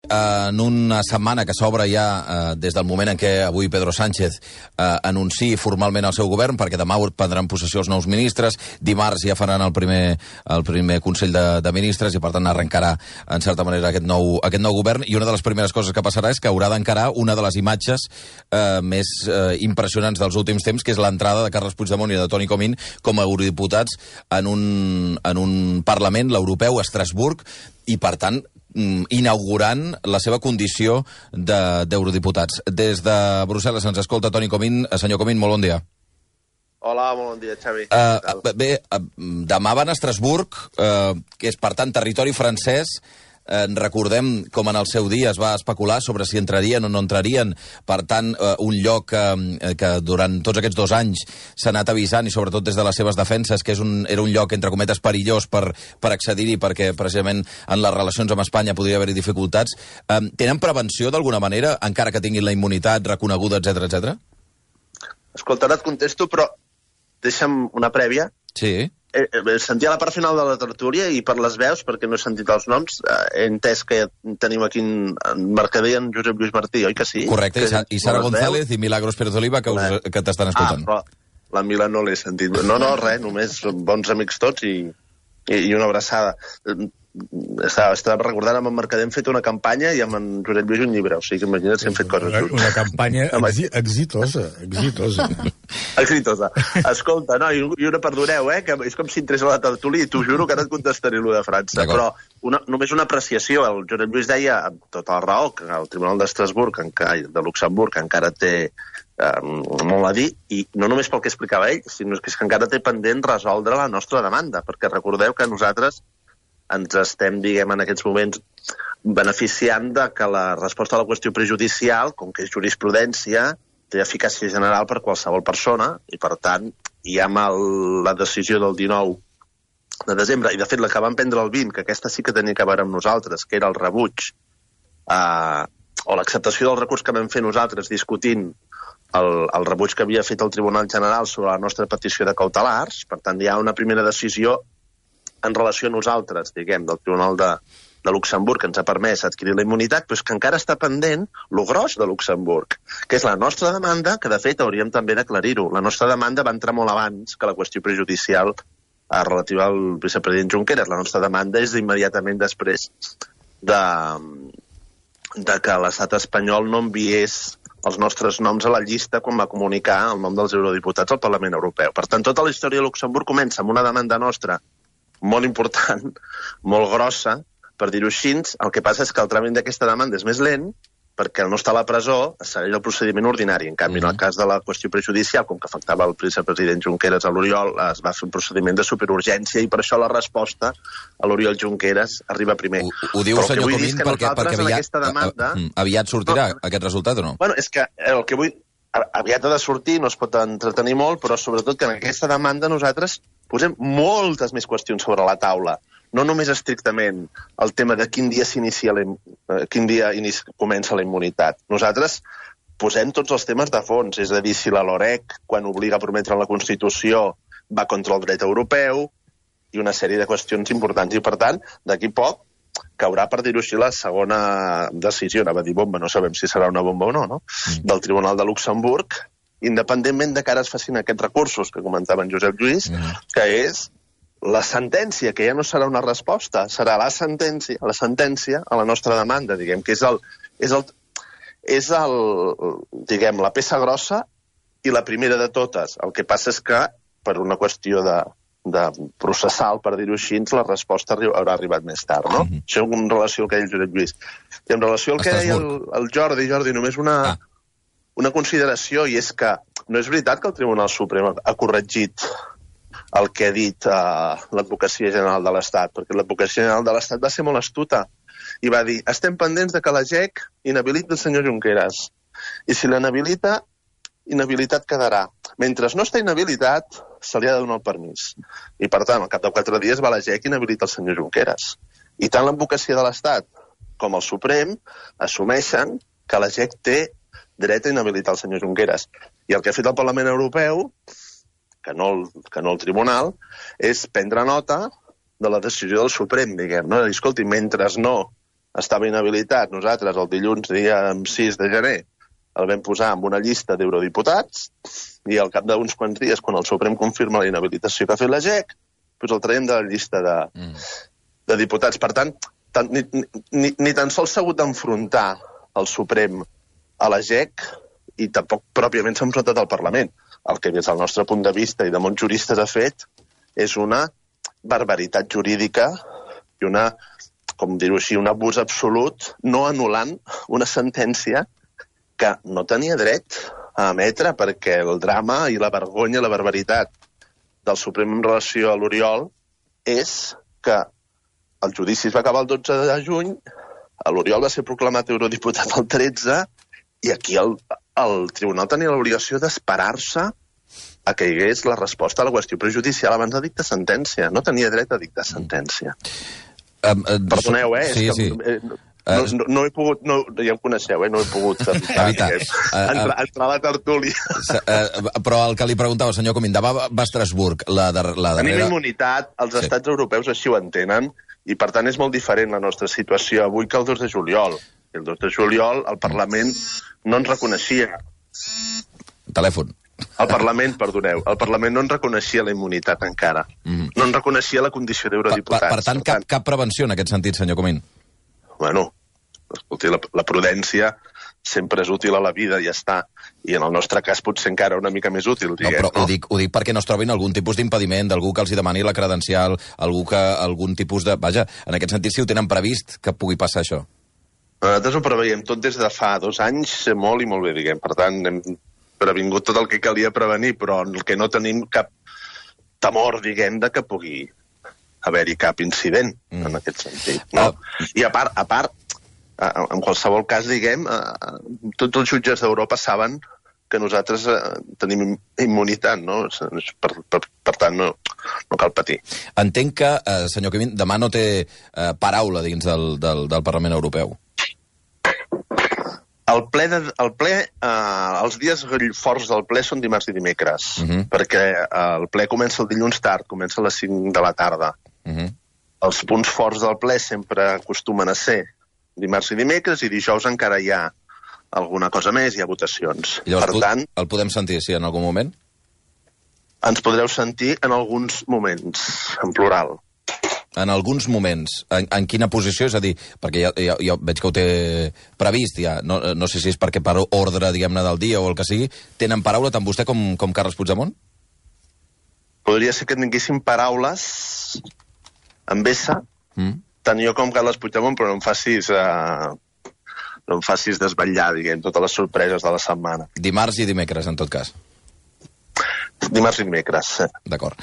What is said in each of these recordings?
en una setmana que s'obre ja des del moment en què avui Pedro Sánchez anunciï formalment el seu govern, perquè demà prendran possessió els nous ministres, dimarts ja faran el primer Consell de Ministres i per tant arrencarà en certa manera aquest nou govern, i una de les primeres coses que passarà és que haurà d'encarar una de les imatges més impressionants dels últims temps, que és l'entrada de Carles Puigdemont i de Toni Comín com a eurodiputats en un Parlament, l'europeu, a Estrasburg, i per tant inaugurant la seva condició d'eurodiputats. Des de Brussel·les ens escolta Toni Comín. Senyor Comín, molt bon dia. Hola, bon dia, Xavi. Bé, demà van a Estrasburg, que és, per tant, territori francès. Recordem com en el seu dia es va especular sobre si entrarien o no entrarien. Per tant, un lloc que durant tots aquests 2 anys s'ha anat avisant, i sobretot des de les seves defenses, que era un lloc, entre cometes, perillós per accedir-hi, perquè precisament en les relacions amb Espanya podria haver-hi dificultats. Tenen prevenció d'alguna manera, encara que tinguin la immunitat reconeguda, etc? Escolta, ara et contesto, però deixa'm una prèvia. Sí. Sentia la part final de la tertúlia i per les veus, perquè no he sentit els noms, he entès que tenim aquí en Mercader en Josep Lluís Martí, oi que sí? Correcte, i Sara González i Milagros Pérez Oliva, que t'estan escoltant. Però la Mila no l'he sentit. No, res, només bons amics tots i una abraçada. Estava recordant, amb en Mercader hem fet una campanya i amb en Josep Lluís un llibre, o sigui que imagina't si hem fet coses junts. Una campanya exitosa. Exitosa. Escolta, no, i una perdoneu, que és com si entrés a la tertúlia i t'ho juro que ara et contestaré allò de França. Però només una apreciació. El Josep Lluís deia, amb tota la raó, que el Tribunal d'Estrasburg, de Luxemburg, encara té molt a dir, i no només pel que explicava ell, sinó que és que encara té pendent resoldre la nostra demanda, perquè recordeu que nosaltres ens estem, diguem, en aquests moments beneficiant de que la resposta a la qüestió prejudicial, com que és jurisprudència, té eficàcia general per qualsevol persona, i per tant hi ha la decisió del 19 de desembre, i de fet la que vam prendre el 20, que aquesta sí que tenia que veure amb nosaltres, que era el rebuig o l'acceptació del recurs que vam fer nosaltres discutint el rebuig que havia fet el Tribunal General sobre la nostra petició de cautelars. Per tant, hi ha una primera decisió en relació a nosaltres, diguem, del Tribunal de Luxemburg, que ens ha permès adquirir la immunitat, però és que encara està pendent lo gros de Luxemburg, que és la nostra demanda, que de fet hauríem també d'aclarir-ho. La nostra demanda va entrar molt abans que la qüestió prejudicial relativa al vicepresident Junqueras. La nostra demanda és immediatament després de que l'estat espanyol no enviés els nostres noms a la llista quan va comunicar el nom dels eurodiputats al Parlament Europeu. Per tant, tota la història de Luxemburg comença amb una demanda nostra molt important, molt grossa, per dir-ho així. El que passa és que el tràmit d'aquesta demanda és més lent, perquè al no estar a la presó es segueix el procediment ordinari. En canvi, en el cas de la qüestió prejudicial, com que afectava el vicepresident Junqueras a l'Oriol, es va fer un procediment de superurgència, i per això la resposta a l'Oriol Junqueras arriba primer. Ho diu, senyor Comín, perquè aviat sortirà aquest resultat o no? Bueno, és que el que vull... Aviat ha de sortir, no es pot entretenir molt, però sobretot que en aquesta demanda nosaltres posem moltes més qüestions sobre la taula. No només estrictament el tema de quin dia comença la immunitat. Nosaltres posem tots els temes de fons, és a dir, si la LOREC, quan obliga a prometre la Constitució, va contra el dret europeu, i una sèrie de qüestions importants. I, per tant, d'aquí poc caurà, per dir-ho així, la segona decisió, anava a dir bomba, no sabem si serà una bomba o no, del Tribunal de Luxemburg, independentment de que ara es facin aquests recursos que comentava en Josep Lluís, que és la sentència, que ja no serà una resposta, serà la sentència a la nostra demanda, diguem, que és diguem, la peça grossa i la primera de totes. El que passa és que, per una qüestió de processal, per dir-ho així, la resposta haurà arribat més tard, no? Això en relació al que deia el Josep Lluís. I en relació al que deia el Jordi, només una consideració, i és que no és veritat que el Tribunal Suprem ha corregit el que ha dit l'Advocacia General de l'Estat, perquè l'Advocacia General de l'Estat va ser molt astuta i va dir, estem pendents de que la GEC inhabiliti el senyor Junqueras, i si l'inhabilita, inhabilitat quedarà. Mentre no està inhabilitat, se li ha de donar el permís. I, per tant, al cap de 4 dies va la GEC i inhabilita el senyor Junqueras. I tant l'Advocacia de l'Estat com el Suprem assumeixen que la GEC té dret a inhabilitar el senyor Junqueras. I el que ha fet el Parlament Europeu, que no el Tribunal, és prendre nota de la decisió del Suprem, diguem, no? Escolti, mentre no estava inhabilitat. Nosaltres, el dilluns, dia 6 de gener, el vam posar en una llista d'eurodiputats i al cap d'uns quants dies, quan el Suprem confirma la inhabilitació que ha fet la GEC, doncs el traiem de la llista de diputats. Per tant, ni tan sols s'ha hagut d'enfrontar el Suprem a la GEC i tampoc pròpiament s'ha enfrontat al Parlament. El que des del nostre punt de vista i de molts juristes ha fet és una barbaritat jurídica i una, com dir-ho així, un abús absolut, no anul·lant una sentència que no tenia dret a emetre perquè el drama i la vergonya i la barbaritat del Suprem en relació a l'Oriol és que el judici es va acabar el 12 de juny, l'Oriol va ser proclamat eurodiputat el 13 i aquí el tribunal tenia l'obligació d'esperar-se a que hi hagués la resposta a la qüestió prejudicial abans de dictar sentència. No tenia dret a dictar sentència. Perdoneu, Sí. No he pogut, ja em coneixeu, no he pogut evitar entrar a la tertúlia. Però el que li preguntava, senyor Comín, demà va a Estrasburg, la darrera... Tenim immunitat, els estats europeus així ho entenen, i per tant és molt diferent la nostra situació avui que el 2 de juliol. El 2 de juliol el Parlament no ens reconeixia. Telèfon. El Parlament no ens reconeixia la immunitat encara. No ens reconeixia la condició d'eurodiputats. Per tant, cap prevenció en aquest sentit, senyor Comín? Bueno, escolti, la prudència sempre és útil a la vida, ja està. I en el nostre cas potser encara una mica més útil, diguem. No, però ho dic perquè no es trobin algun tipus d'impediment, d'algú que els hi demani la credencial, algun tipus de... Vaja, en aquest sentit, si ho tenen previst, que pugui passar això. Nosaltres ho preveiem tot des de fa 2 anys, molt i molt bé, diguem. Per tant, hem previngut tot el que calia prevenir, però el que no tenim cap temor, diguem, de que pugui haver-hi cap incident en aquest sentit. No? I a part, en qualsevol cas, diguem, tots els jutges d'Europa saben que nosaltres tenim immunitat, no? Per tant, no cal patir. Entenc que, senyor Comín, demà no té paraula dins del Parlament Europeu. Els dies forts del ple són dimarts i dimecres, perquè el ple comença el dilluns tard, comença a les 5 de la tarda. Els punts forts del ple sempre acostumen a ser dimarts i dimecres i dijous encara hi ha alguna cosa més, hi ha votacions. I llavors, per tant, el podem sentir, sí, en algun moment? Ens podreu sentir en alguns moments, en plural. En alguns moments. En quina posició? És a dir, perquè jo veig que ho té previst, ja. No sé si és perquè per ordre, diguem-ne, del dia o el que sigui, tenen paraula tant vostè com Carles Puigdemont? Podria ser que tinguéssim paraules amb essa, tant jo com Carles Puigdemont, però no em facis desvetllar, diguem, totes les sorpreses de la setmana. Dimarts i dimecres, en tot cas. Dimarts i dimecres, sí. D'acord.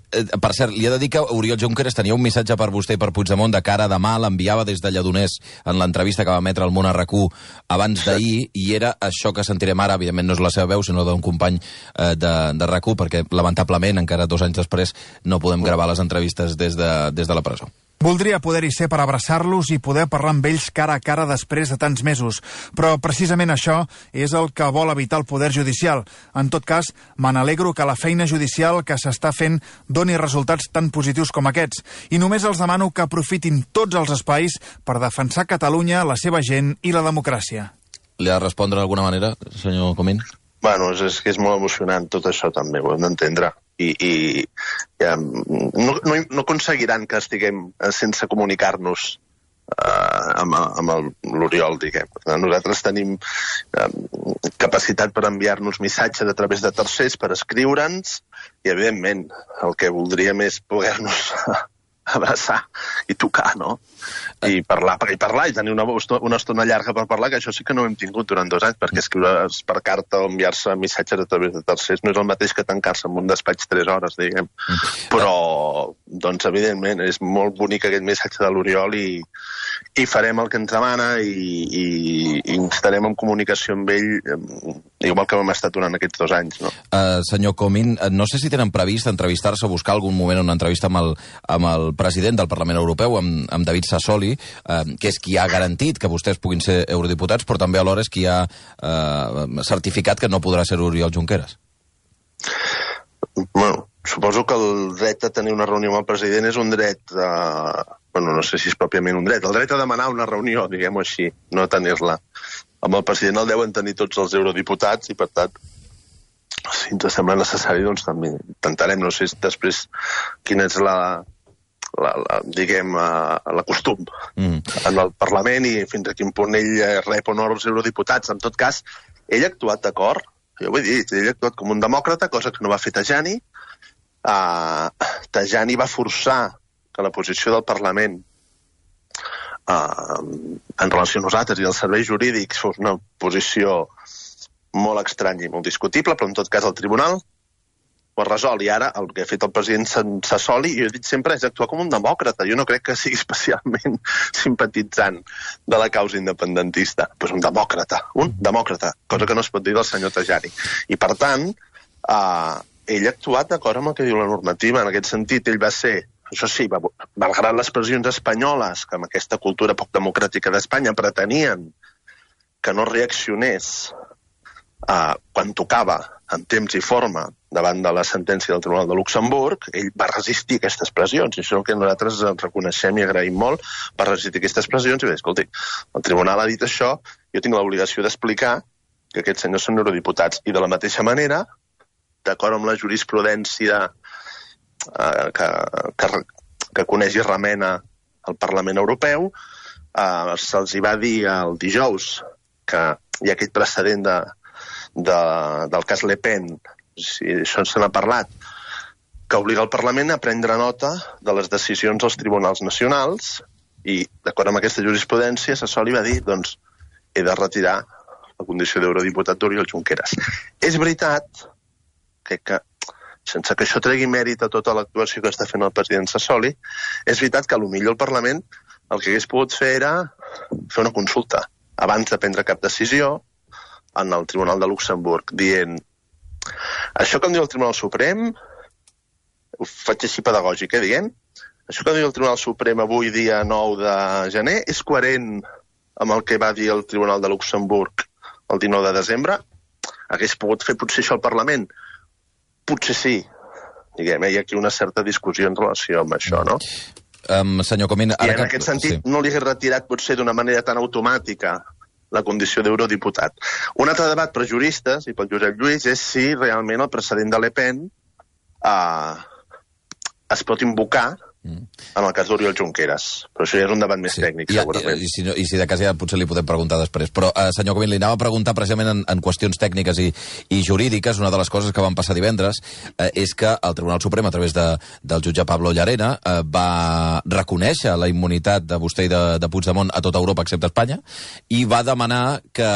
Per cert, li he de dir que Oriol Junqueras tenia un missatge per vostè i per Puigdemont de cara a demà, l'enviava des de Lledoners en l'entrevista que va emetre al Món a RAC1 abans d'ahir, i era això que sentirem ara. Evidentment no és la seva veu, sinó d'un company de RAC1, perquè lamentablement encara 2 anys després no podem gravar les entrevistes des de la presó. Voldria poder-hi ser per abraçar-los i poder parlar amb ells cara a cara després de tants mesos, però precisament això és el que vol evitar el Poder Judicial. En tot cas, me n'alegro que la feina judicial que s'està fent doni resultats tan positius com aquests, i només els demano que aprofitin tots els espais per defensar Catalunya, la seva gent i la democràcia. Li ha de respondre d'alguna manera, senyor Comín? Bueno, és que és molt emocionant tot això també, ho hem d'entendre. I no aconseguiran que estiguem sense comunicar-nos amb l'Oriol, diguem. Nosaltres tenim capacitat per enviar-nos missatges a través de tercers, per escriure'ns, i evidentment el que voldríem és poder-nos abraçar i tocar, no? I parlar i tenir una estona llarga per parlar, que això sí que no ho hem tingut durant 2 anys, perquè escriure's per carta o enviar-se missatges a través de tercers no és el mateix que tancar-se en un despatx 3 hores, diguem. Però, doncs, evidentment, és molt bonic aquest missatge de l'Oriol i farem el que ens demana i estarem en comunicació amb ell igual que hem estat durant aquests 2 anys, no? Senyor Comín, no sé si tenen previst entrevistar-se o buscar algun moment una entrevista amb el president del Parlament Europeu, amb David Sassoli, que és qui ha garantit que vostès puguin ser eurodiputats, però també alhora és qui ha certificat que no podrà ser Oriol Junqueras. Bueno, suposo que el dret a tenir una reunió amb el president és un dret bueno, no sé si és pròpiament un dret, el dret a demanar una reunió, diguem-ho així, no a tenir-la. Amb el president el deuen tenir tots els eurodiputats i, per tant, si ens sembla necessari, doncs també intentarem, no sé després quina és la costum en el Parlament i fins a quin punt ell rep honor als eurodiputats. En tot cas, ell ha actuat d'acord, jo ho he dit, ell ha actuat com un demòcrata, cosa que no va fer Tajani. Tajani va forçar que la posició del Parlament en relació a nosaltres i als serveis jurídics fos una posició molt estranya i molt discutible, però en tot cas el tribunal ho ha resolt. I ara el que ha fet el president Sassoli, jo he dit sempre, és actuar com un demòcrata. Jo no crec que sigui especialment simpatitzant de la causa independentista. Pues un demòcrata, cosa que no es pot dir del senyor Tajani. I per tant, ell ha actuat d'acord amb el que diu la normativa. En aquest sentit, ell va ser, això sí, malgrat les pressions espanyoles, que amb aquesta cultura poc democràtica d'Espanya pretenien que no reaccionés quan tocava en temps i forma davant de la sentència del Tribunal de Luxemburg, ell va resistir aquestes pressions, i això és el que nosaltres reconeixem i agraïm molt, va resistir aquestes pressions i bé, escolti, el Tribunal ha dit això, jo tinc l'obligació d'explicar que aquests senyors són eurodiputats, i de la mateixa manera, d'acord amb la jurisprudència que coneix i remena el Parlament Europeu, se'ls hi va dir el dijous que hi ha aquest precedent del cas Le Pen, si això se n'ha parlat, que obliga el Parlament a prendre nota de les decisions dels tribunals nacionals i, d'acord amb aquesta jurisprudència, Sassoli va dir, doncs, he de retirar la condició d'eurodiputat d'Oriol Junqueras. És veritat que sense que això tregui mèrit a tota l'actuació que està fent el president Sassoli, és veritat que potser el Parlament el que hagués pogut fer era fer una consulta abans de prendre cap decisió en el Tribunal de Luxemburg, dient això que em diu el Tribunal Suprem, ho faig així pedagògic, dient, això que em diu el Tribunal Suprem avui, dia 9 de gener, és coherent amb el que va dir el Tribunal de Luxemburg el 19 de desembre? Hagués pogut fer potser això al Parlament? Potser sí. Diguem, hi ha aquí una certa discussió en relació amb això, no? Senyor Comín... I en aquest sentit no li hagués retirat potser d'una manera tan automàtica la condició d'eurodiputat. Un altre debat per juristes i pel Josep Lluís és si realment el precedent de Le Pen es pot invocar en el cas d'Oriol Junqueras. Però això ja és un debat més tècnic, segurament. I si de cas ja potser li podem preguntar després. Però, senyor Comín, li anava a preguntar precisament en qüestions tècniques i jurídiques. Una de les coses que van passar divendres és que el Tribunal Suprem, a través del jutge Pablo Llarena, va reconèixer la immunitat de vostè i de Puigdemont a tota Europa, excepte Espanya, i va demanar que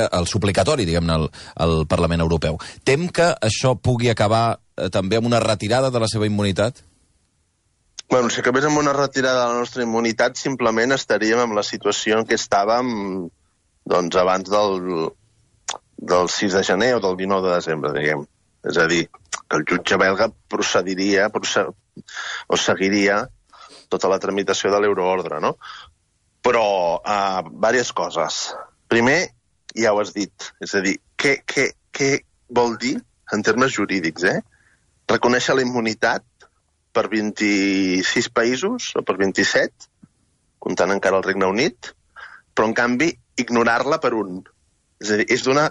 el suplicatori, diguem-ne, al Parlament Europeu. Tem que això pugui acabar també amb una retirada de la seva immunitat? Bueno, si acabés amb una retirada de la nostra immunitat, simplement estaríem en la situació en què estàvem doncs, abans del 6 de gener o del 19 de desembre, diguem. És a dir, que el jutge belga procediria o seguiria tota la tramitació de l'euroordre, no? Però, diverses coses. Primer, ja ho has dit, és a dir, què vol dir en termes jurídics, reconèixer la immunitat per 26 països, o per 27, comptant encara el Regne Unit, però, en canvi, ignorar-la per un. És a dir, és d'una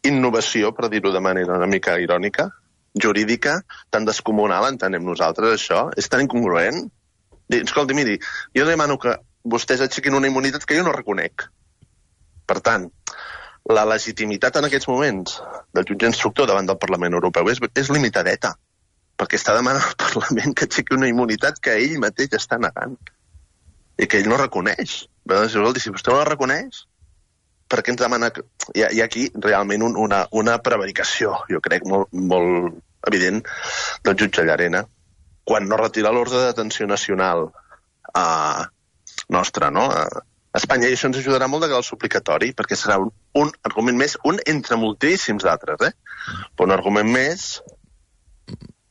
innovació, per dir-ho de manera una mica irònica, jurídica, tan descomunal, entenem nosaltres, això. És tan incongruent. Escolti, miri, jo demano que vostès aixequin una immunitat que jo no reconec. Per tant, la legitimitat en aquests moments del jutge instructor davant del Parlament Europeu és limitadeta, perquè està demanant al Parlament que aixequi una immunitat que ell mateix està negant i que ell no reconeix. Si vostè no la reconeix, per què ens demana... Hi ha aquí realment una prevaricació, jo crec, molt evident del jutge Llarena, quan no retira l'ordre de detenció nacional nostre, no?, a Espanya, i això ens ajudarà molt de cara al suplicatori, perquè serà un argument més, un entre moltíssims d'altres, però un argument més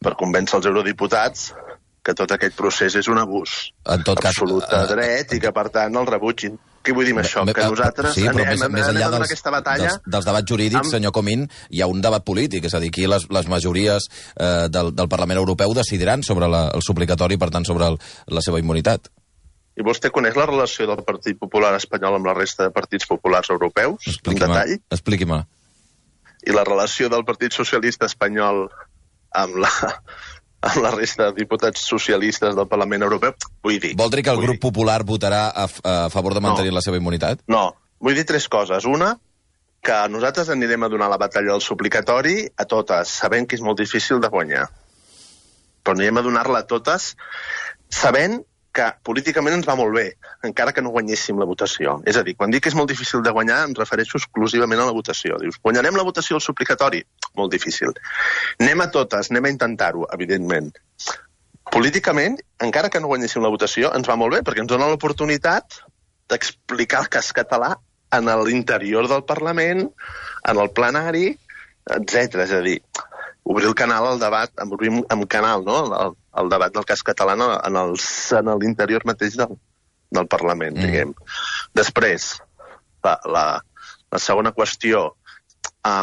per convèncer els eurodiputats que tot aquest procés és un abús absolut de dret i que, per tant, el rebutgin. Què vull dir amb això? Que nosaltres anem a donar aquesta batalla... Dels debats jurídics, senyor Comín, hi ha un debat polític, és a dir, aquí les majories del Parlament Europeu decidiran sobre el suplicatori, per tant, sobre la seva immunitat. I vostè coneix la relació del Partit Popular espanyol amb la resta de partits populars europeus? En detall? Expliqui-me. I la relació del Partit Socialista espanyol amb la resta de diputats socialistes del Parlament Europeu? Vull dir... Vol dir que el grup popular votarà a favor de mantenir la seva immunitat? No. Vull dir tres coses. Una, que nosaltres anirem a donar la batalla del suplicatori a totes, sabent que és molt difícil de guanyar. Però anirem a donar-la a totes sabent que políticament ens va molt bé, encara que no guanyéssim la votació. És a dir, quan dic que és molt difícil de guanyar, em refereixo exclusivament a la votació. Dius, guanyarem la votació al suplicatori? Molt difícil. Anem a totes, anem a intentar-ho, evidentment. Políticament, encara que no guanyéssim la votació, ens va molt bé, perquè ens dona l'oportunitat d'explicar el cas català en l'interior del Parlament, en el plenari, etc. És a dir, obrir el canal al debat, obrir un canal, no?, el debat del cas català en l'interior mateix del Parlament, diguem. Després, la segona qüestió, a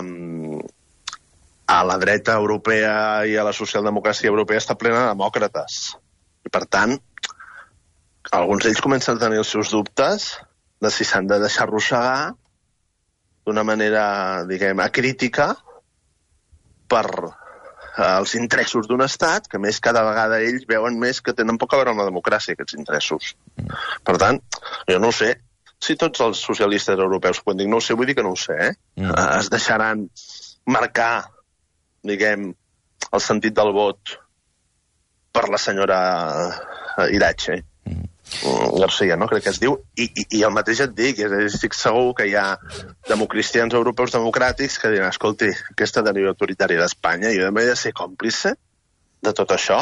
la dreta europea i a la socialdemocràcia europea està plena de demòcrates. I, per tant, alguns d'ells comencen a tenir els seus dubtes de si s'han de deixar arrossegar d'una manera, diguem, acrítica per els interessos d'un estat, que més cada vegada ells veuen més que tenen poc a veure amb la democràcia, aquests interessos. Per tant, jo no ho sé si tots els socialistes europeus, quan dic no ho sé, vull dir que no ho sé, es deixaran marcar, diguem, el sentit del vot per la senyora Iratxe. Garcia, no? Crec que es diu, i el mateix et dic, estic segur que hi ha democristians europeus democràtics que diran, escolti, aquesta deriva autoritària d'Espanya, jo he de ser còmplice de tot això.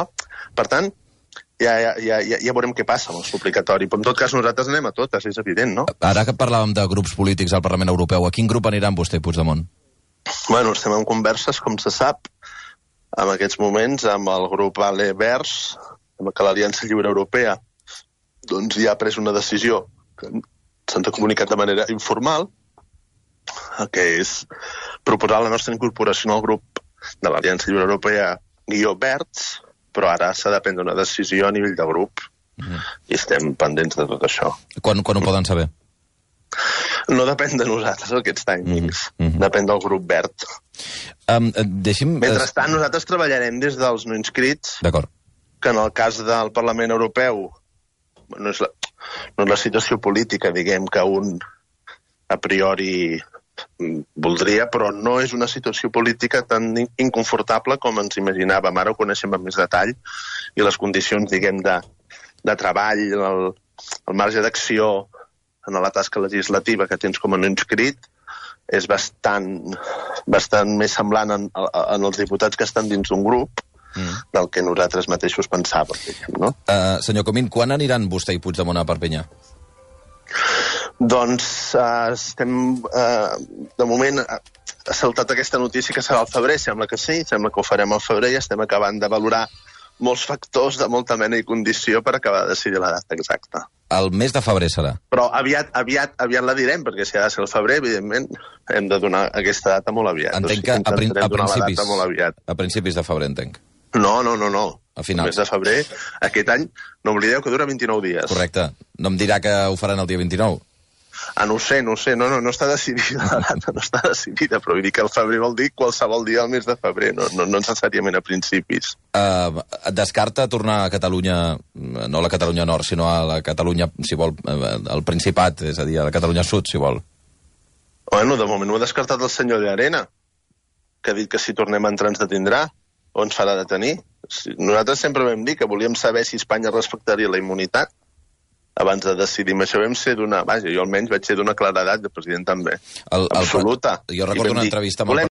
Per tant, ja veurem què passa amb el suplicatori, però en tot cas nosaltres anem a totes, és evident, no? Ara que parlàvem de grups polítics al Parlament Europeu, a quin grup aniran vostè i Puigdemont? Bueno, estem en converses, com se sap, en aquests moments, amb el grup ALE Verds, amb que l'Aliança Lliure Europea doncs ja ha pres una decisió que se'ns ha comunicat de manera informal, que és proposar la nostra incorporació al grup de l'Aliança Lliure Europea _Verds, però ara s'ha de prendre una decisió a nivell de grup i estem pendents de tot això. Quan ho poden saber? No depèn de nosaltres, aquests timings. Depèn del grup verd. Mentrestant, nosaltres treballarem des dels no inscrits, que en el cas del Parlament Europeu no és la situació política, diguem, que un a priori voldria, però no és una situació política tan inconfortable com ens imaginàvem. Ara ho coneixem amb més detall i les condicions, diguem, de treball, el marge d'acció en la tasca legislativa que tens com a no inscrit és bastant més semblant en els diputats que estan dins d'un grup del que nosaltres mateixos pensàvem, no? Senyor Comín, quan aniran vostè i Puigdemont a Perpinyà? Doncs estem, de moment, ha saltat aquesta notícia que serà al febrer, sembla que sí, sembla que ho farem al febrer i estem acabant de valorar molts factors de molta mena i condició per acabar de decidir la data exacta. El mes de febrer serà? Però aviat la direm, perquè si ha de ser el febrer, evidentment, hem de donar aquesta data molt aviat. Entenc que a principis de febrer, entenc. No. A final. El mes de febrer, aquest any, no oblideu que dura 29 dies. Correcte. No em dirà que ho faran el dia 29? No ho sé, no està decidida la data, no està decidida, però vull dir que el febrer vol dir qualsevol dia del mes de febrer, no necessàriament a principis. Descarta tornar a Catalunya, no a la Catalunya Nord, sinó a la Catalunya, si vol, al Principat, és a dir, a la Catalunya Sud, si vol. Bueno, de moment ho ha descartat el senyor de Arena, que ha dit que si tornem a entrar ens detindrà, o ens farà detenir. Nosaltres sempre vam dir que volíem saber si Espanya respectaria la immunitat abans de decidir. Això vam ser d'una... Vaja, jo almenys vaig ser d'una claredat, de president també. Absoluta. Jo recordo una entrevista amb el